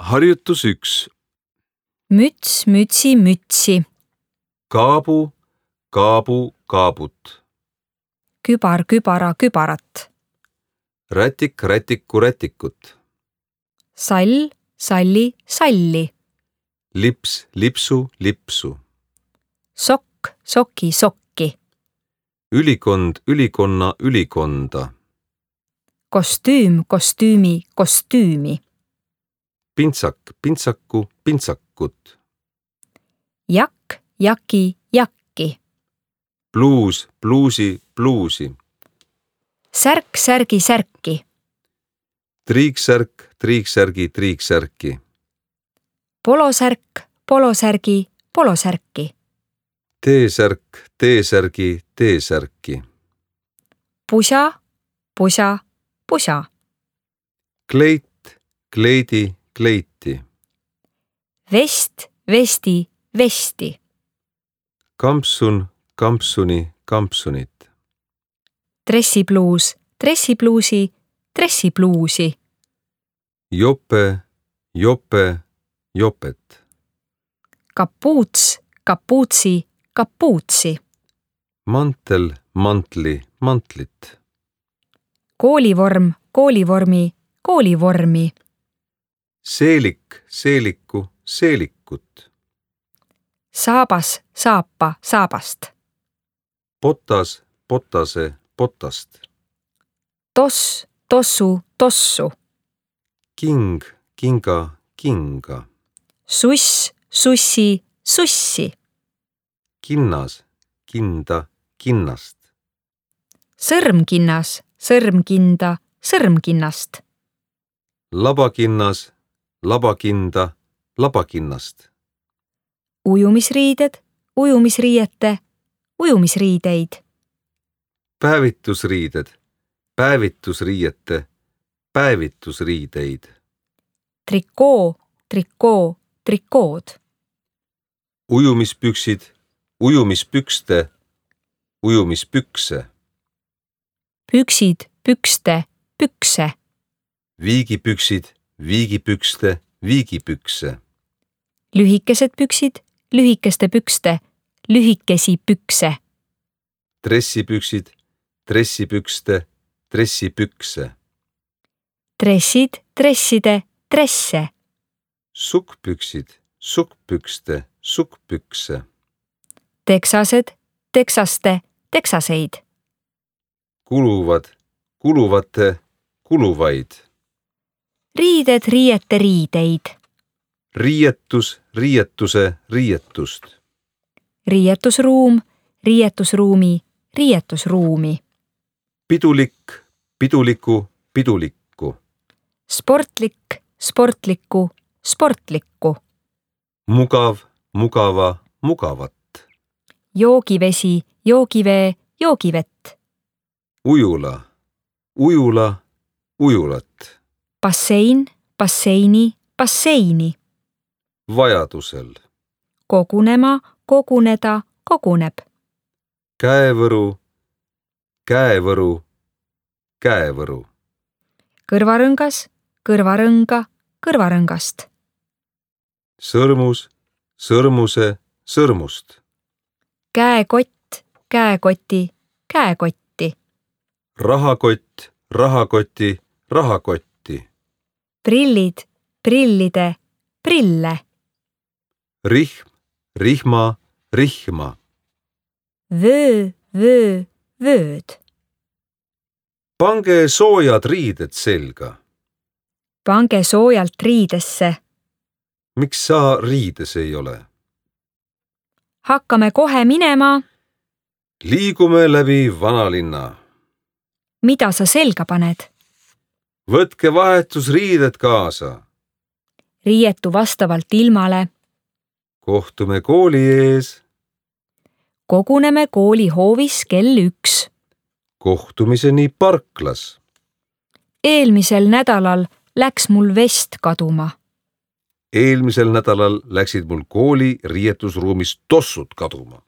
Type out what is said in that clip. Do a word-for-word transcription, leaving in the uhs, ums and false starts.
Harjutus üks. Müts, mütsi, mütsi. Kaabu, kaabu, kaabut. Kübar, kübara, kübarat. Rätik, rätiku, rätikut. Sall, salli, salli. Lips, lipsu, lipsu. Sokk, soki, sokki. Ülikond, ülikonna, ülikonda. Kostüüm, kostüümi, kostüümi. Pintsak, pintsaku, pintsakut. Jakk, jaki, jakki. Pluus, pluusi, pluusi. Särk, särgi, särki. Triiksärk, triiksärgi, triiksärki. Polosärk, polosärgi, polosärki. T-särk, T-särgi, T-särki. Pusa, pusa, pusa. Kleit, kleidi, kleiti. Vest, vesti, vesti. Kampsun, kampsuni, kampsunit. Dressipluus, dressipluusi, dressipluusi. Jope, jope, jopet. Kapuuts, kapuutsi, kapuutsi. Mantel, mantli, mantlit. Koolivorm, koolivormi, koolivormi. Seelik, seeliku, seelikut. Saabas, saapa, saabast. Potas, potase, potast. Toss, tossu, tossu. King, kinga, kinga. Suss, sussi, sussi. Kinnas, kinda, kinnast. Sõrmkinnas, sõrmkinda, sõrmkinnast. Labakinnas, labakinda, labakinnast. Ujumisriided, ujumisriiete, ujumisriideid. Päevitusriided, päevitusriiete, päevitusriideid. Trikoo, trikoo, trikood. Ujumispüksid, ujumispükste, ujumispükse. Püksid, pükste, pükse. Viigipüksid, viigipükste, viigipükse. Lühikesed püksid, lühikeste pükste, lühikesi pükse. Dressipüksid, dressipükste, dressipükse. Dressid, dresside, dresse. Sukkpüksid, sukkpükste, sukkpükse. Teksased, teksaste, teksaseid. Kuluvad, kuluvate, kuluvaid. Riided, riiete, riideid. Riietus, riietuse, riietust. Riietusruum, riietusruumi, riietusruumi. Pidulik, piduliku, pidulikku. Sportlik, sportlikku, sportlikku. Mugav, mugava, mugavat. Joogivesi, joogivee, joogivett. Ujula, ujula, ujulat. Bassein, basseini, basseini. Vajadusel. Kogunema, koguneda, koguneb. Käevõru, käevõru, käevõru. Kõrvarõngas, kõrvarõnga, kõrvarõngast. Sõrmus, sõrmuse, sõrmust. Käekott, käekoti, käekotti. Rahakott, rahakoti, rahakotti. Prillid, prillide, prille. Rihm, rihma, rihma. Vöö, vöö, vööd. Pange soojad riided selga. Pange soojalt riidesse. Miks sa riides ei ole? Hakkame kohe minema. Liigume läbi vanalinna. Mida sa selga paned? Võtke vahetusriided kaasa. Riietu vastavalt ilmale. Kohtume kooli ees. Koguneme kooli hoovis kell üks. Kohtumiseni parklas. Eelmisel nädalal läks mul vest kaduma. Eelmisel nädalal läksid mul kooli riietusruumis tossud kaduma.